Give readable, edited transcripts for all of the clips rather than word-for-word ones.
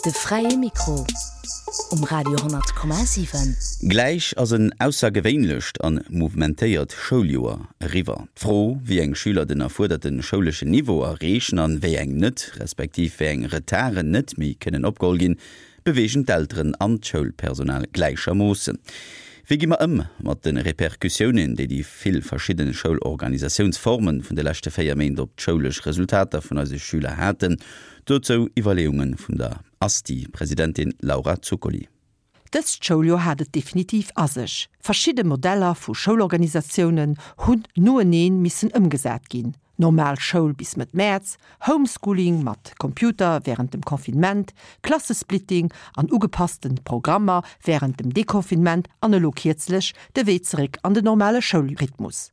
De fräie Mikro um Radio 10,7. Gläich ass en aussergewéinlecht an mouvementéiert Schouljoer eriwwer. D'Fro, wéi eng Schüler den erfuerderte schouleschen Niveau erreechen an wéi eng net, respektiv wéi eng Retarden net méi kënnen opgeholl ginn, beweegen d'Elteren an d'Schoulpersonal gläichermoossen. Wéi gi mer ëm mat de Repercussiounen, déi déi vill verschidde Schoulorganisatiounsforme vun de leschte 4 Méint op d'schoulesch Resultater vun eise Schüler haten? Dozou Iwwerleeunge vun der ASTI-Presidentin Laura Zuccoli. Dëst Schouljoer hat et definitiv a sech. Verschidde Modeller vu Schoulorganisatiounen hunn noeneen missen ëmgesat ginn, normal Schoul bis Mëtt Mäerz, Homeschooling mat Computer wärend dem Confinement, Klassesplitting an ugepassten Programmer wärend dem Deconfinement an elo kierzlech de Wee zeréck an den normale Schoulrhythmus.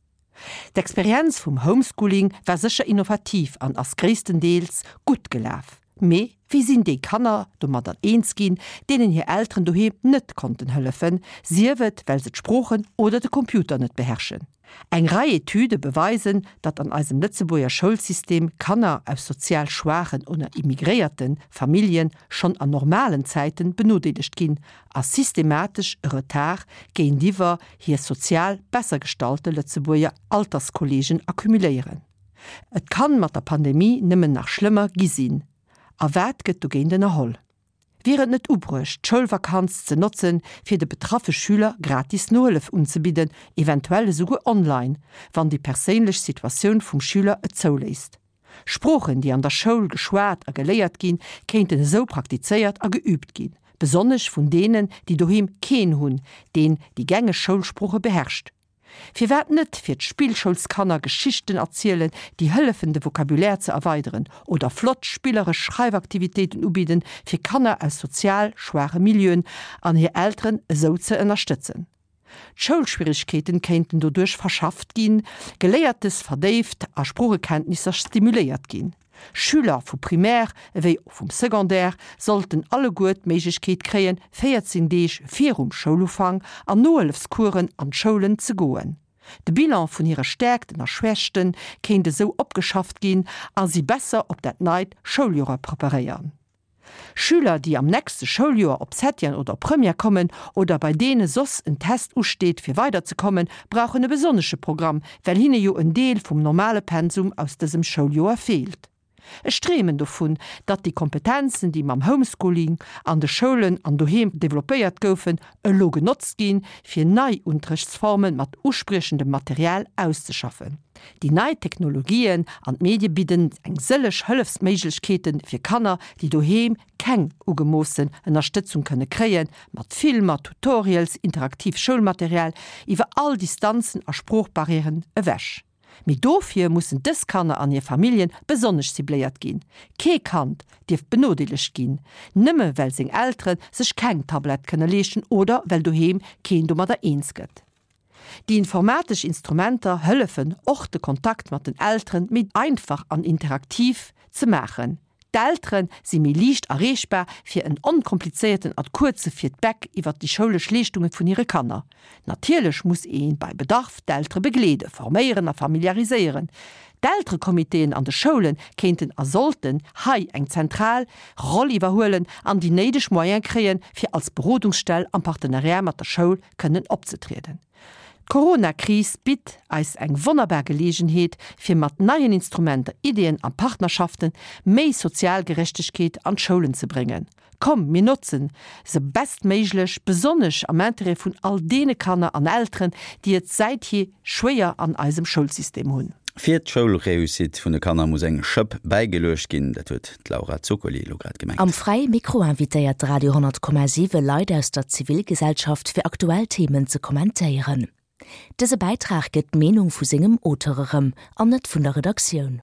D'Experienz vum Homeschooling war sécher innovativ an ass gréisstendeels gutt gelaf. Mee wéi sinn déi Kanner domadder eens ginn, deenen hir Elteren doheem net konnten hëllefen, sief et well se d'Sproochen oder de Computer net beherrschen? Eng Rei Etüde beweisen, datt an eisem Lëtzebuerger Schoulsystem Kanner aus sozial schwaachen oder immigréierte Famillje schonn an normalen Zäiten benodeelegt ginn a systematesch e Retard géintiwwer hir sozial besser gestallte Lëtzebuerger Alterskolleegen accumuléieren. Et kann mat der Pandemie nëmmen nach schlëmmer gi sinn. A wat gëtt dogéint ënnerholl? Wier et net ubruecht, d'Schoulvakanz ze notzen, fir de betraffe Schüler gratis Nohëllef unzebidden, eventuell esouguer online, wann déi perséinlech Situatioun vum Schüler et zouléisst? Sproochen, déi an der Schoul geschwat a geléiert ginn, kéinten esou praktizéiert a geüübt ginn, besonnesch vun deenen, déi doheem keen hunn, deen déi gängeg Schoulsprooche beherrscht. Firwat net fir d'Spillschoulskanner Geschichten erzielen, déi hëllefen de Vocabulaire ze erweideren, oder flott spilleresch Schreifaktivitéiten ubidden, fir Kanner aus sozial schwaache Milieuen an hir Elteren esou ze ënnerstëtzen? D'Schoulschwierigkeeten kéinten doduerch verschafft ginn, Geléiertes verdéift a Sproochekenntnisser stimuléiert ginn. Schüler vu Primaire ewéi och vum Secondaire sollten alleguer d'Méiglechkeet kréien, 14 Deeg virum Schoulufank an Nohëllefscoursen an d'Schoulen ze goen. De Bilan vun hire Stäerkten a Schwächte kéint esou opgeschafft ginn a si besser op dat neit Schouljoer preparéieren. Schüler, déi am nächste Schouljoer op Septième oder op Première kommen oder bei deene soss en Test usteet fir weiderzekommen, brauchen e besonnesche Programm, well hinne jo en Deel vum normale Pensum aus dësem Schouljoer feelt. Ech dreemen dovun, datt déi Kompetenzen, déi mam Homeschooling an de Schoulen an doheem developpéiert goufen, elo genotzt ginn, fir nei Unterrichtsforme mat uspriechendem Material auszeschaffen. Déi nei Technologien an d'Medie bidden eng sëlleg Hëllefsméiglechkeete fir Kanner, déi doheem keng ugemoossen Ënnerstëtzung kënne kréien, mat Filmer, Tutorials, interaktiv Schoulmaterial, iwwer all Distanzen a Sproochbarrièren ewech. Mee dofir mussen dës Kanner an hir Familljen besonnesch cibléiert ginn. Kee Kand dierf benodeelegt ginn, nëmme well seng Eltere sech keng Tablett kënne leeschten oder well doheem keen domadder eens gëtt. Déi informatesch Instrumenter hëllefen och de Kontakt mat den Elteren méi einfach an interaktiv ze maachen. D'Eltere si méi liicht erreechbar fir en onkomplizéierten a kuerze Feedback iwwert déi schoulesch Leeschtunge vun hire Kanner. Natierlech muss ee bei Bedarf d'Eltere begleeden, forméieren a familiariséieren. D'Elterecomitéen an de Schoule kéinten a sollten hei eng zentral Roll iwwerhuelen an déi néideg Moyen kréien, fir als Berodungsstell am Partenariat mat der Schoul kënnen opzetrieden. D'Corona-Kris bitt eis eng wonnerbar Geleegenheet, fir mat neien Instrumenter, Ideeën a Partnerschaften méi sozial Gerechtegkeet an d'Schoulen ze bréngen. Komm, mir notzen se bestméiglech, besonnesch am Interêt vun all deene Kanner an Elteren, déi et säithier schwéier an eisem Schoulsystem hunn. Fir d'Schoulreussite vun de Kanner muss eng Schëpp bäigeluecht ginn, dat huet d'Laura Zuccoli elo grad gemengt. Am Fräie Mikro invitéiert de Radio 10,7 Leit aus der Zivilgesellschaft fir aktuell Themen ze kommentéieren. Dëse Bäitrag gëtt d'Meenung vu sengem Auteur erëm an net vun der Redaktioun.